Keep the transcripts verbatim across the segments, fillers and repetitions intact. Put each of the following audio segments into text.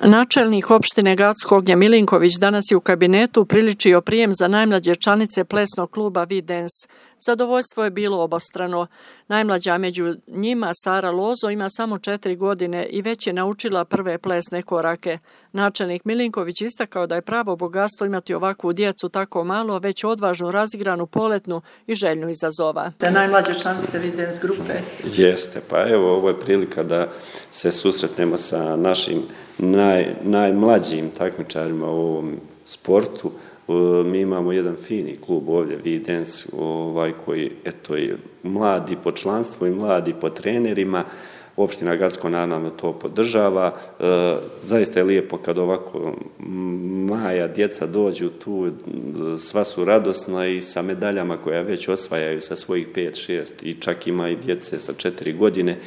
Načelnik opštine Gacko Ognjen Milinković danas je u kabinetu upriličio prijem za najmlađe članice plesnog kluba V-Dance. Zadovoljstvo je bilo obostrano. Najmlađa među njima, Sara Lozo, ima samo četiri godine i već je naučila prve plesne korake. Načelnik Milinković istakao da je pravo bogatstvo imati ovakvu djecu tako malo, već odvažnu, razigranu, poletnu i željnu izazova. Te najmlađe članice V-Dance grupe. Jeste, pa evo ovo je prilika da se susretnemo sa našim Naj, najmlađim takmičarima u ovom sportu. Mi imamo jedan fini klub ovdje, V-Dance, ovaj, koji eto, je mladi po članstvu i mladi po trenerima. Opština Gacko naravno to podržava. E, zaista je lijepo kad ovako maja djeca dođu tu, sva su radosna i sa medaljama koja već osvajaju sa svojih pet, šest i čak ima i djece sa četiri godine.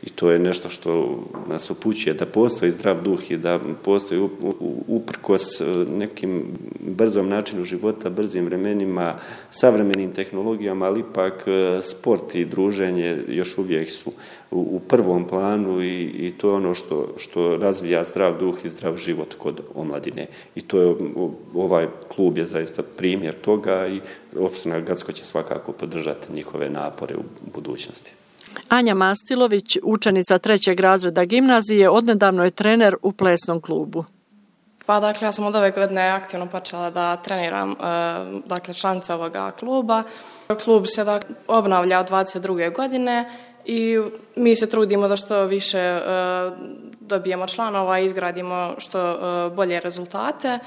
I to je nešto što nas upućuje da postoji zdrav duh i da postoji uprkos nekim brzom načinu života, brzim vremenima, savremenim tehnologijama, ali ipak sport i druženje još uvijek su u prvom planu i, i to je ono što, što razvija zdrav duh i zdrav život kod omladine. I to je, ovaj klub je zaista primjer toga i opština Gacko će svakako podržati njihove napore u budućnosti. Anja Mastilović, učenica trećeg razreda gimnazije, odnedavno je trener u plesnom klubu. Pa dakle, ja sam od ove godine aktivno počela da treniram dakle, članice ovoga kluba. Klub se dakle, obnavlja od dvadeset druge godine i mi se trudimo da što više dobijemo članova i izgradimo što bolje rezultate.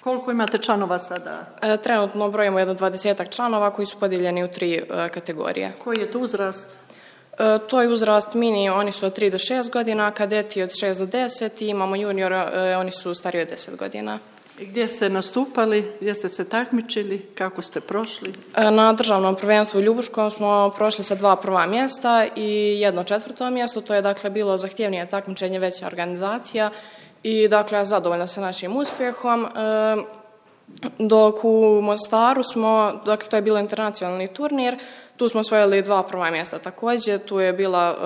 Koliko imate članova sada? Trenutno brojimo jedno dvadesetak članova koji su podijeljeni u tri kategorije. Koji je to uzrast? E, to je uzrast mini, oni su od tri do šest godina, kadeti od šest do deset i imamo juniora, e, oni su stariji od deset godina. I gdje ste nastupali, gdje ste se takmičili, kako ste prošli? E, na državnom prvenstvu u Ljubuškom smo prošli sa dva prva mjesta i jedno četvrto mjesto, to je dakle bilo zahtjevnije takmičenje, veća organizacija i dakle ja zadovoljna sa našim uspjehom. E, dok u Mostaru smo, dakle to je bilo internacionalni turnir, tu smo osvojili dva prva mjesta također, tu je bila,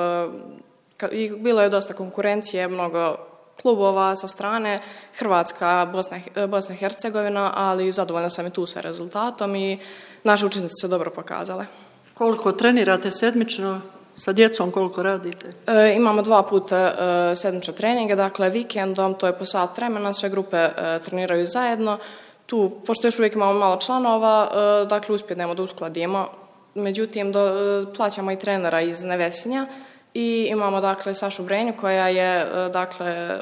i bilo je dosta konkurencije, mnogo klubova sa strane, Hrvatska, Bosna, Bosna i Hercegovina, ali zadovoljna sam i tu sa rezultatom i naše učesnice su dobro pokazale. Koliko trenirate sedmično? Sa djecom koliko radite? E, imamo dva puta e, sedmično treninge, dakle vikendom, to je po sat vremena, sve grupe e, treniraju zajedno. Tu, pošto još uvijek imamo malo članova, e, dakle uspjednemo da uskladimo. Međutim, do, plaćamo i trenera iz Nevesinja i imamo dakle Sašu Brenju koja je dakle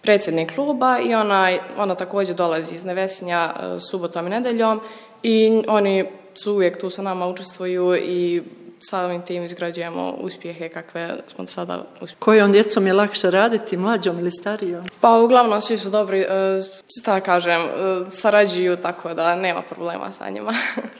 predsjednik kluba i ona, ona također dolazi iz Nevesinja subotom i nedeljom i oni su uvijek tu sa nama, učestvuju i samim tim izgrađujemo uspjehe kakve smo sada uspjeli. Kojom djecom je lakše raditi, mlađom ili starijom? Pa uglavnom svi su dobri, šta kažem, sarađuju tako da nema problema sa njima.